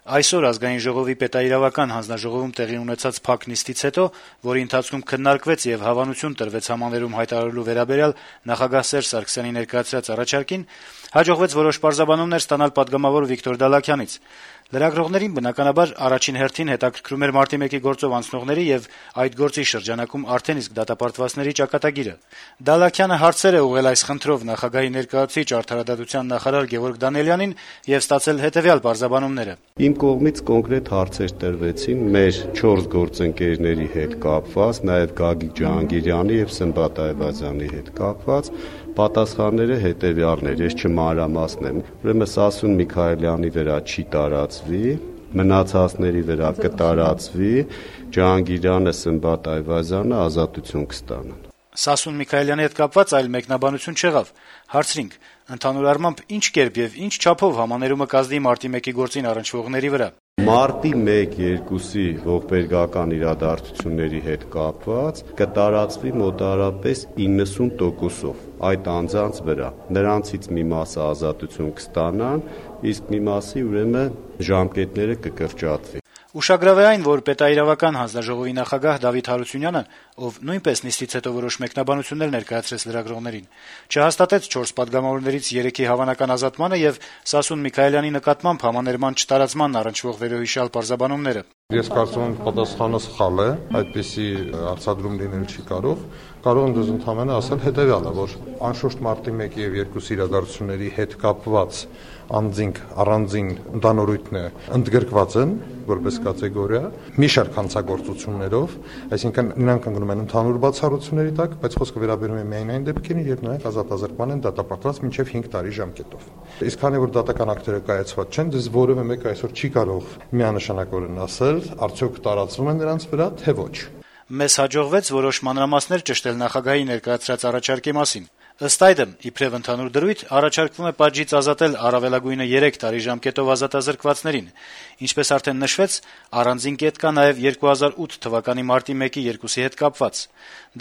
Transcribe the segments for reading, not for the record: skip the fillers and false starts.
Այսօր Ազգային ժողովի պետաիրավական հանձնաժողովում տեղի ունեցած փակ նիստից հետո, որի ընթացքում քննարկվեց եւ հավանություն տրվեց համաներում հայտարարելու վերաբերյալ նախագահ Սերժ Սարգսյանի ներկայացրած առաջարկին, հաջողվեց որոշ պարզաբանումներ ստանալ պատգամավոր Վիկտոր Դալաքյանից։ Լրագրողներին բնականաբար առաջին հերթին հետաքրքրում էր մարտի 1-ի գործով անցնողների եւ այդ գործի շրջանակում արդեն իսկ դատապարտվածների ճակատագիրը։ Դալաքյանը հարցեր է ուղղել այս խնդրով նախագահի ներկայացուցիչ արդարադատության նախարար Գևորգ Դանիելյանին եւ ստացել հետեւյալ պարզաբանումները. Իմ կողմից կոնկրետ հարցեր տրվեցին մեր 4 գործընկերների հետ կապված, նաեւ Գագիկ Ջհանգիրյանի եւ Սմբատ Այվազյանի հետ կապված։ Պատասխանները հետեւյալն էր, ես չմանրամասնեմ։ Ուրեմն Սասուն Միքայելյանի վրա չի տարածվի, մնացածների վրա կտարածվի, Ջհանգիրյանը, Սմբատ Այվազյանը ազատություն կստանան։ Սասուն Միքայելյանի հետ կապված այլ մեկնաբանություն չեղավ։ Հարցրինք. ընդհանուր առմամբ ինչ կերպ եւ ինչ չափով համաներումը կազդի մարտի 1-ի գործին առնչվողների վրա։ Մարտի 1-2-ի ողբերգական իրադարձությունների հետ կապված կտարածվի մոտարապես 90%-ով այդ անձանց վրա։ Նրանցից մի մասը ազատություն կստանան, իսկ մի մասի ուրեմն ժամկետները կկրճատվի։ Ուշագրավ է այն, որ պետաիրավական հանձնաժողովի նախագահ Դավիթ Հարությունյանը, ով նույնպես նիստից հետո որոշ մեկնաբանություններ ներկայացրեց լրագրողներին, չհաստատեց 4 պատգամավորներից 3-ի հավանական ազատմանը եւ Սասուն Միքայելյանի նկատմամբ համաներման չտարածման առնչվող վերոհիշյալ պարզաբանումները։ Ես կարծում եմ պատասխանը սխալ է, այդպիսի հարցադրում լինել չի կարող։ Կարող եմ դուզ ընդհանրապես ասել հետեւյալը, որ անշուշտ մարտի 1 եւ 2 իրադարձությունների հետ կապված անձինք առանձին ընդանորույթն է ընդգրկված են որպես կատեգորիա մի շարք հանցագործություններով, այսինքն նրանք ընկնում են ընդհանուր բացառությունների տակ, բայց խոսքը վերաբերում է միայն այն դեպքերին, երբ նրանք ազատազրկման են դատապարտված մինչև 5 տարի ժամկետով։ Իսկ քանի որ դատական ակտերը կայացված չեն, դες որևէ մեկ այսօր չի կարող միանշանակորեն ասել, արդյոք տարածվում են նրանց վրա, թե ոչ։ Մեզ հաջողվեց որոշ մանրամասներ ճշտել նախագահի ներկայացրած առաջարկի մասին։ Ըստ այդմ, իբրև ընդհանուր դրույթ, առաջարկվում է պատժից ազատել առավելագույնը 3 տարի ժամկետով ազատազրկվածներին։ Ինչպես արդեն նշվեց, առանձին կետ կա նաև 2008 թվականի մարտի 1-ի 2-ի հետ կապված։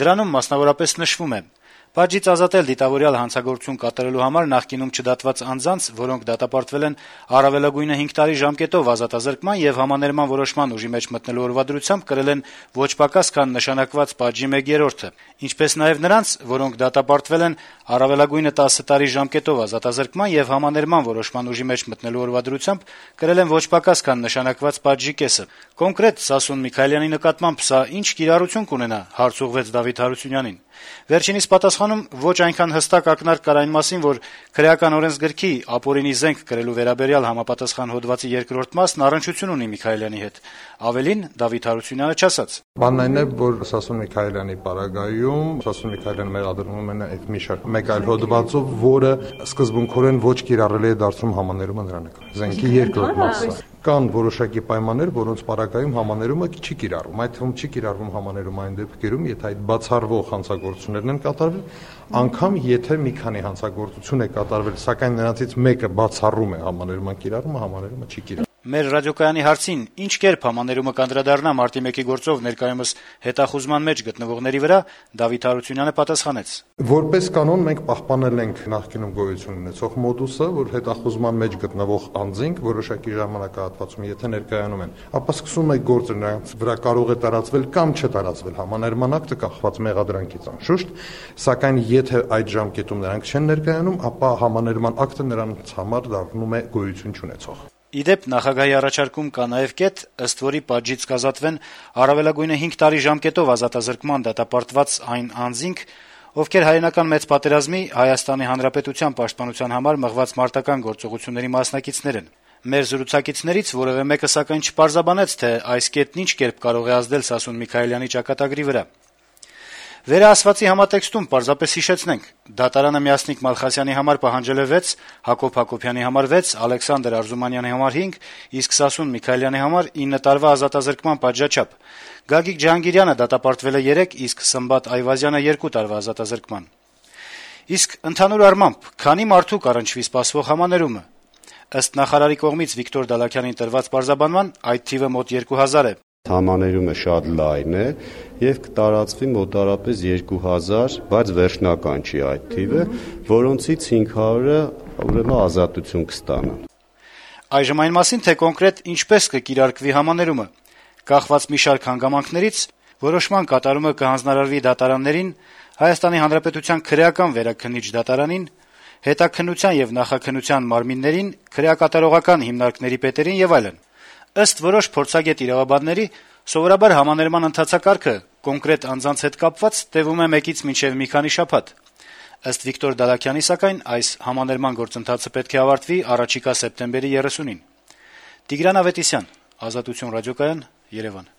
Դրանում մասնավորապես նշվում է. Պատժից ազատել դիտավորյալ հանցագործություն կատարելու համար նախկինում չդատված անձանց, որոնք դատապարտվել են առավելագույնը 5 տարի ժամկետով ազատազրկման եւ համաներման որոշման ուժի մեջ մտնելու օրվադրությամբ կրել են ոչ պակաս քան նշանակված պատժի 1/3-ը, ինչպես նաեւ նրանց, որոնք դատապարտվել են առավելագույնը 10 տարի ժամկետով ազատազրկման եւ համաներման որոշման ուժի մեջ մտնելու օրվադրությամբ կրել են ոչ պակաս քան նշանակված պատժի կեսը։ Կոնկրետ Սասուն Միքայելյանի նկատմամբ սա ինչ կիրառություն կունենա, հարց ուղղվեց Դավիթ Հարությունյանին։ Վերջինիս պատասխանում ոչ այնքան հստակ ակնարկ կար այն մասին, որ քրեական օրենսգրքի ապօրինի զենք կրելու վերաբերյալ համապատասխան հոդվածի 2-րդ մասն առնչություն ունի Միքայելյանի հետ։ Ավելին Դավիթ Հարությունյանը չասաց. Բանն այն է, որ Սասուն Միքայելյանի պարագայում Սասուն Միքայելյանը մեղադրվում է այդ մի շարք մեկ այլ հոդվածով, որը սկզբունքորեն ոչ կիրառելի է դարձում համաներումը նրա նկատմամբ։ Զենքի 2-րդ մասը։ Կան որոշակի պայմաններ, որոնց պարագայում համաներումը չի կիրառվում։ Այդ թվում չի կիրառվում համաներումը այն դեպքերում, եթե այդ բացառվող հանցագործություններն են կատարվել, անգամ եթե մի քանի հանցագործություն է կատարվել, սակայն նրանցից մեկը բացառում է համաներման կիրառումը, համաներումը չի կիրառվում։ Մեր ռադիոկայանի հարցին ինչ կերպ համաներումը կանդրադառնա մարտի 1-ի գործով ներկայումս հետախուզման մեջ գտնվողների վրա, Դավիթ Հարությունյանը պատասխանեց. Որպես կանոն մենք պահպանել ենք նախկինում գոյություն ունեցող մոդուսը, որ հետախուզման մեջ գտնվող անձինք որոշակի ժամանակահատվածում եթե ներկայանում են, ապա սկսում է գործը նրանց վրա կարող է տարածվել կամ չտարածվել համաներման ակտը կախված մեղադրանքից անշուշտ, սակայն եթե այդ ժամկետում նրանք չեն ներկայանում, ապա համաներման ակտը նրանց համար դառնում է գոյություն չունեցող։ Իդեպ նախագահի առաջարկում կա նաև կետ, ըստ որի պատժից կազատվեն առավելագույնը 5 տարի ժամկետով ազատազրկման դատապարտված այն անձինք, ովքեր հայերենական մեծ պատերազմի Հայաստանի Հանրապետության պաշտպանության համար մղված մարտական գործողությունների մասնակիցներ են։ Մեր զրուցակիցներից որևէ մեկը սակայն չպարզաբանեց, թե այս կետն ինչ կերպ կարող է ազդել Սասուն Միքայելյանի ճակատագրի վրա։ Վերահասվածի համատեքստում պարզապես հիշեցնենք. դատարանը Միասնիկ Մալխասյանի համար պահանջել է 6, Հակոբ Հակոբյանի համար 6, Ալեքսանդր Արզումանյանի համար 5, իսկ Սասուն Միքայելյանի համար 9 տարվա ազատազրկման պատժաչափ։ Գագիկ Ջհանգիրյանը դատապարտվել է 3, իսկ Սմբատ Այվազյանը 2 տարվա ազատազրկման։ Իսկ ընդհանուր առմամբ, քանի մարդու կառնչվի սպասվող համաներումը։ Ըստ նախարարի կողմից Վիկտոր Դալաքյանին տրված պարզաբանման, այդ թիվը մոտ 2000 է։ Համաներումը շատ լայն է եւ կտարածվի մոտարապես 2000, բայց վերջնական չի այդ թիվը, որոնցից 500-ը ուրեմն ազատություն կստանան։ Այժմ այն մասին, թե կոնկրետ ինչպես կկիրարկվի համաներումը, կախված մի շարք հանգամանքներից, որոշման կատարումը կհանձնարարվի դատարաններին, Հայաստանի Հանրապետության քրեական վերաքննիչ դատարանին, հետաքննության եւ նախաքննության մարմիններին, քրեակատարողական հիմնարկների պետերին եւ այլն։ Ըստ որոշ փորձագետ իրավաբանների, սովորաբար համաներման ընթացակարգը կոնկրետ անձանց հետ կապված տևում է 1-ից մինչեւ մի քանի շաբաթ։ Ըստ Վիկտոր Դալաքյանի, սակայն, այս համաներման գործընթացը պետք է ավարտվի առաջիկա սեպտեմբերի 30-ին։ Տիգրան Ավետիսյան, Ազատություն ռադիոկայան, Երևան։